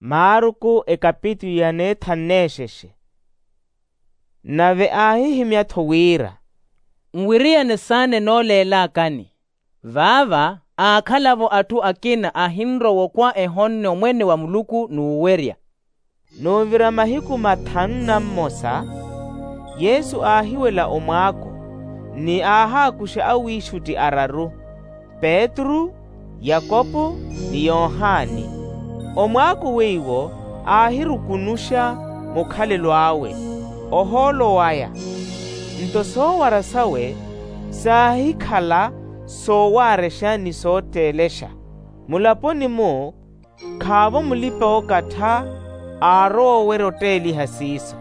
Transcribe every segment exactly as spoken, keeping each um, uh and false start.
Maruku ekapitulu ya neethanu n'exexe. Nave aahihimya-tho wira, nwiriyane saana enooleelakani. Vaava aakhala-vo atthu akina ahinrowa okhwa ehonne omwene wa muluku n'uwerya. N'uvira mahiku mathanu na mmosa, yesu aahiwela omwaako, ni aahaakuxa awiixutti araru, petru, yakopo, ni yohani. Omwaako weiwo aahirukunuxa mukhalelo awe, ohoolo waya. Nto soowara sawe saahikhala soowaarexa ni sootteelexa. Mulaponi-mu khaavo mulipa-ookattha aarowa owerya otteeliha siiso.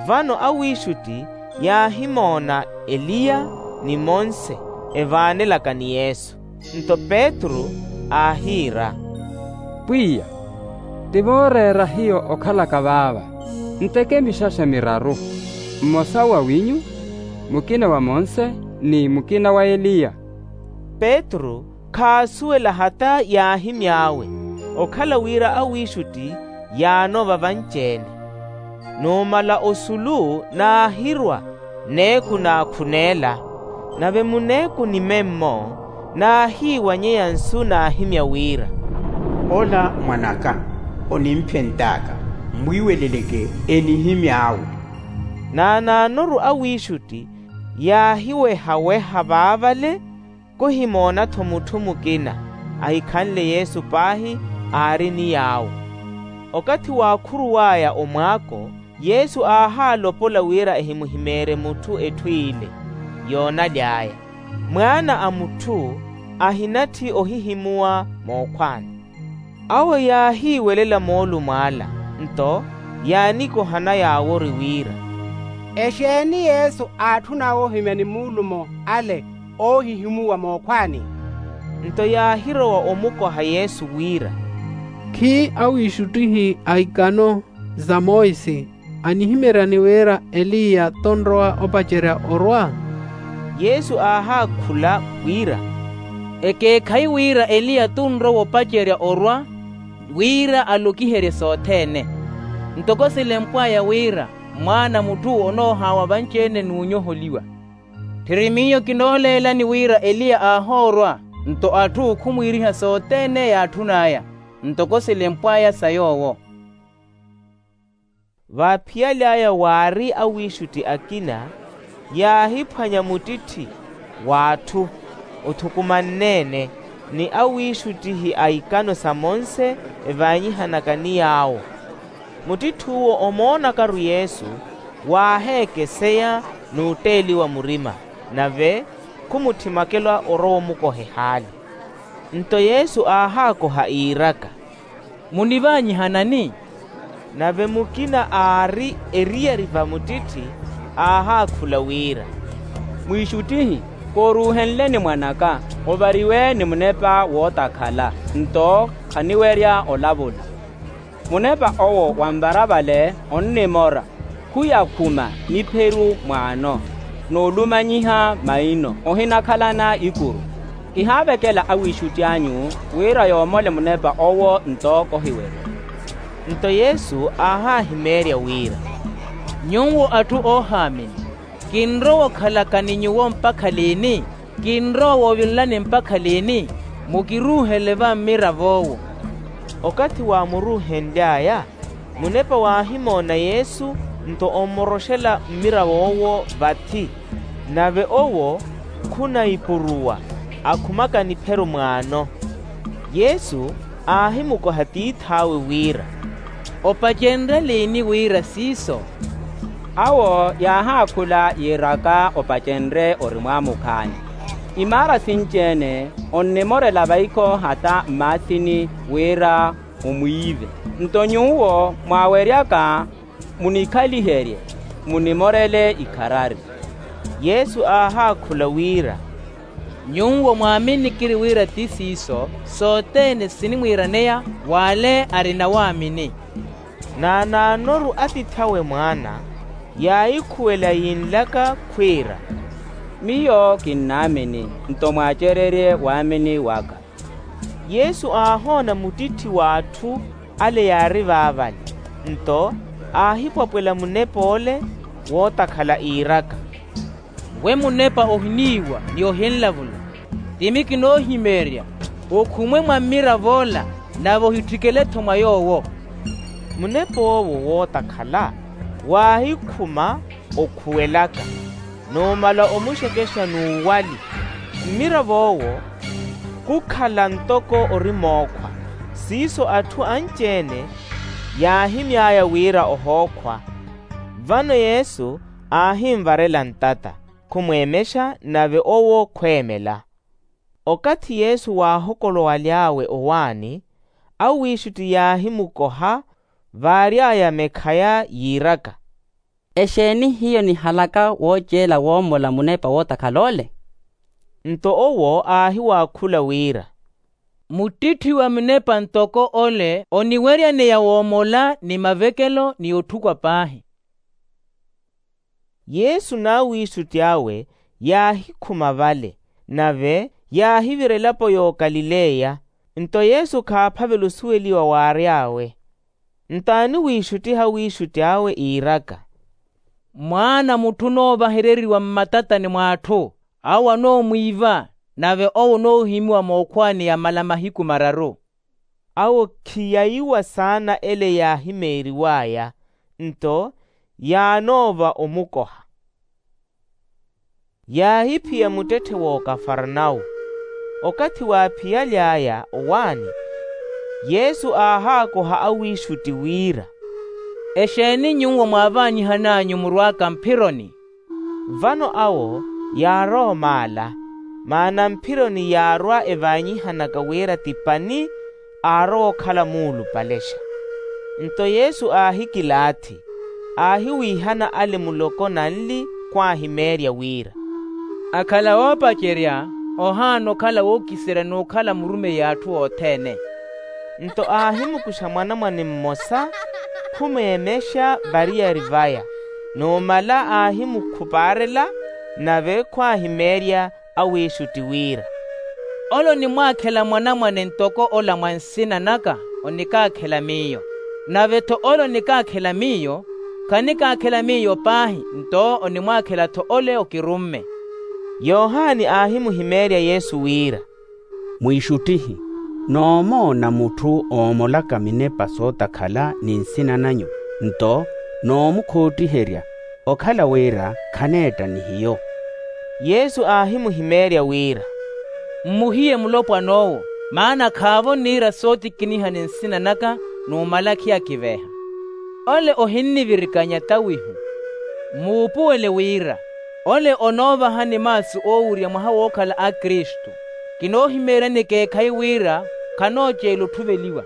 Vano awiixutti yaahimoona eliya ni monse evaanelaka ni yesu. Nto petru aahiira, pwiya, ti vooreera hiyo okhalaka vaava. Nteke mixaxa miraru, mmosa wa winyu, mukina wa monse, ni mukina wa eliya. Petru khaasuwela hata yaahimy'awe, okhala wira awiixutti yaanoova vanci-ene. Numala osulu naahirwa n'eku naakhuneela. Nave muneeku ni memmo naahiiwanyeya nsu naahimya wira, ola mwan'aka, onimphent'aka, mmwiiweleleke enihimy'awe. Naanaanoru awiixutti yaahiweha-weha vaavale, kuhimoona-tho mutthu mukina ahikhanle yesu paahi aari ni yaawo. Okathi waakhuruw'aya omwaako, yesu aahaalopola wira ehimuhimeerye mutthu etthu ile yoonaly'aya. Mwaana a mutthu ahinatthi ohihimuwa mookhwani. Awo yaahiiwelela moolumo ala, nto yaanikohana yaawori wira, exeeni yesu aatthun'awe ohimya ni moolumo ale oohihimuwa mookhwani? Nto yaahirowa omukoha yesu wira, khi awiixuttihi a ikano za monse anihimeryani wira eliya t'unrowa opacerya orwa? Yesu aahaakhula wira, ekeekhayi wira eliya t'unrowa opacerya orwa wira alokiherye sothene. Ntoko silempw'aya wira mwaana a mutthu onoohaawa vanci-ene n'unyoholiwa. Tthiri miyo kinooleelani wira eliya aahoorwa, nto atthu khumwiiriha sothene yaatthun'aya, ntoko silempw'aya sa yoowo. Vaaphiyaly'aya waari awiixutti akina yaahiphwanya muttitthi w'atthu othukumanne-ene, ni awiixuttihi a ikano sa monse evaanyihanaka ni yaawo. Muttitthu'uwo omoonakaru yesu, waaheekeseya n'utteeliwa murima, nave khumutthimwakela orowa omukoha ehaali. Nto yesu aahaakoha iiraka, munivaanyihanani? Nave mukina aari eriyari va muttitthi aahaakhula wira, mwiixuttihi, kooruuhenleni mwan'aka, ovariwe ni munepa wootakhala, nto khaniwerya olavula. Munepa owo wanvara vale onnimora, khuyakhuma nipheru mwaano, n'ulumanyiha maino ohinakhalana ikuru. Kihaavekela awiixutti anyu wira yoomole munepa owo nto kohiwerya. Nto yesu aahaahimeerya wira, nyuwo atthu oohaamini, kinrowa okhalaka ni nyuwo mpakha liini? Kinrowa woovilelani mpakha liini? Mukiruuhele va mmirav'owo. Okathi waamuruuhenly'aya, munepa waahimoona yesu nto ommoroxela mmirav'owo vathi, nave owo khunayipuruwa akhumaka nipheru mwaano. Yesu aahimukoha tiith'awe wira, opacenrye liini wira siiso? Awo yaahaakhula yiiraka opacenrye ori mwaamukhaani. Imaara sinci-ene onnimorela vaikho hata mmaasini wira omwiive. Nto nyuwo mwaaweryaka munikhaliherye, munimorele ikharari. Yesu aahaakhula wira, nyuwo mwaaminikiri wira ti siiso sothene sinimwiiraneya w'ale arina waamini. Naanaanoru atiith'awe mwaana yaahikhuwela yiinlaka khwiira, miyo kinnaamini, nto mwaacererye waamini waka. Yesu aahoona muttitthi w'atthu ale yaari vaavale. Nto aahipwapwela munep'ole wootakhala iiraka, we munepa ohiniiwa ni ohinlavula, timi kinoohimeerya okhumwe mwa mmirav'ola, nave ohitthikele-tho mwa yoowo. Munep'owo wootakhala waahikhuma okhuwelaka, numala omuxekexa n'uwali. Mmirav'owo khukhala ntoko ori mookhwa. Siiso atthu anci-ene yaahimy'aya wira ohookhwa. Vano yesu aahinvarela ntata, khumweemexa, nave owo khweemela. Okathi yesu waahokolowaly'awe owaani, awiixutti yaahimukoha, vaary'aya mekhaya yiiraka, exeeni hiyo nihalaka wooceela woomola munepa wootakhala ole? Nto owo aahiwaakhula wira, muttitthi wa munepa ntoko ole oniweryaneya woomola ni mavekelo ni otthukwa paahi. Yesu n'awiixutti awe yaahikhuma vale, nave yaahivira elapo y'okalileya. Nto yesu khaaphavela osuweliwa waary'awe. Nto aaniwiixuttiha awiixutti awe iiraka, mwaana a mutthu onoovahereriwa mmatatani mw'atthu, awo anoomwiiva, nave owo onoohimiwa mookhwaani ya mala mahiku mararu. Awo khiyaiwa saana ele yaahimeeriw'aya, nto yaanoova omukoha. Yaahiphiya muttetthe w'okafarnawu. Okathi waaphiyaly'aya owaani, yesu aahaakoha awiixutti wira, exeeni nyuwo mwaavaanyihan'anyu murw'aka mphironi? Vano awo yaarowa omaala, maana mphironi yaarwa evaanyihanaka wira ti pani, aarowa okhala muulupalexa. Nto yesu aahikilaathi, aahiwiihana ale muloko nanli, khwaahimeerya wira, akhala woopacerya ohaana okhala wookiserya n'ukhala murumeyi a atthu othene. Nto aahimukuxa mwanamwane mmosa, khumweemexa variyari vaya, numala aahimukhupaarela, nave khwaahimeerya awiixutti wira, ole onimwaakhela mwanamwane ntoko ola mwa nsina naka, onikaakhela miyo. Nave-tho ole onikaakhela miyo, khanikaakhela miyo paahi, nto onimwaakhela-tho ole okirumme. Yohani aahimuhimeerya yesu wira, mwiixuttihi, noomoona mutthu oomolaka minepa sootakhala ni nsina nanyu, nto noomukhottiherya, okhala wira khaneetta ni hiyo. Yesu aahimuhimeerya wira, mmuhiye mulopwan'owo, maana khaavo niira sootikiniha ni nsina naka, numala khiyakiveeha. Ole ohinnivirikanya tawihu. Mmuupuwele wira ole onoovahani maasu oowurya mwaha wookhala akristu. Kinoohimeeryani ekeekhayi wira khanooceela otthuveliwa.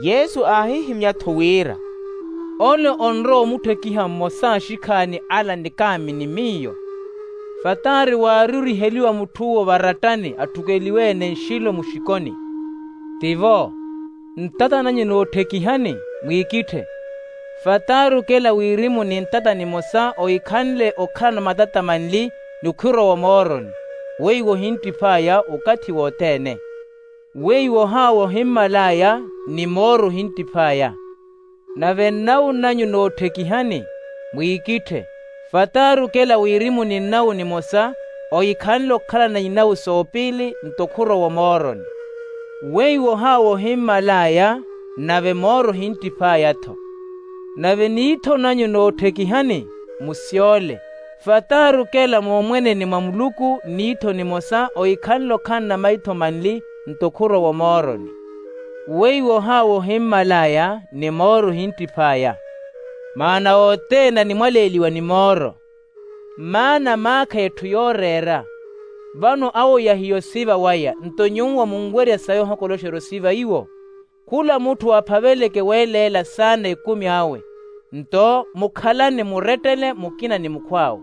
Yesu aahihimya-tho wira, ole onrowa omutthekiha mmosa a axikhaani ala nikaamini miyo. Fataari waaririheliwa mutth'uwo varattani atthukeliwe-ene nxilo muxikoni. Tivo, ntata nanyu nootthekihani, mwiikitthe. Fataari okela wirimu ni ntata nimosa ohikhanle okhalana matata manli, ni okhwirowa omooroni. Weiwo ohinttiph'aya okathi wothene. Weiwo ohaawa ohimmal'aya, ni mooro ohinttiph'aya. Nave nnawu nanyu nootthekihani, mwiikitthe. Fataari okela wirimuni nnawu nimosa, ohikhanle okhalana inawu soopiili nto khurowa omooroni. Weiwo ohaawa ohimmal'aya, nave mooro ohinttiph'aya-tho. Nave niitho nanyu nootthekihani, musyole. Fataari okela moomweneni mwa muluku niitho nimosa ohikhanle okhalana maitho manli nto khurowa omooroni. Weiwo ohaawa ohimmal'aya, ni mooro ohinttiph'aya. Maana othene animwaleeliwa ni mooro. Maana maakha etthu yooreera. Vano awo yahiya osiva waya nto nyuwo munwerya sayi ohokoloxerya osiva iwo. Khula mutthu aphaveleke weeleela saana ekumi awe. Nto mukhalane murettele mukina ni mukhw'awe.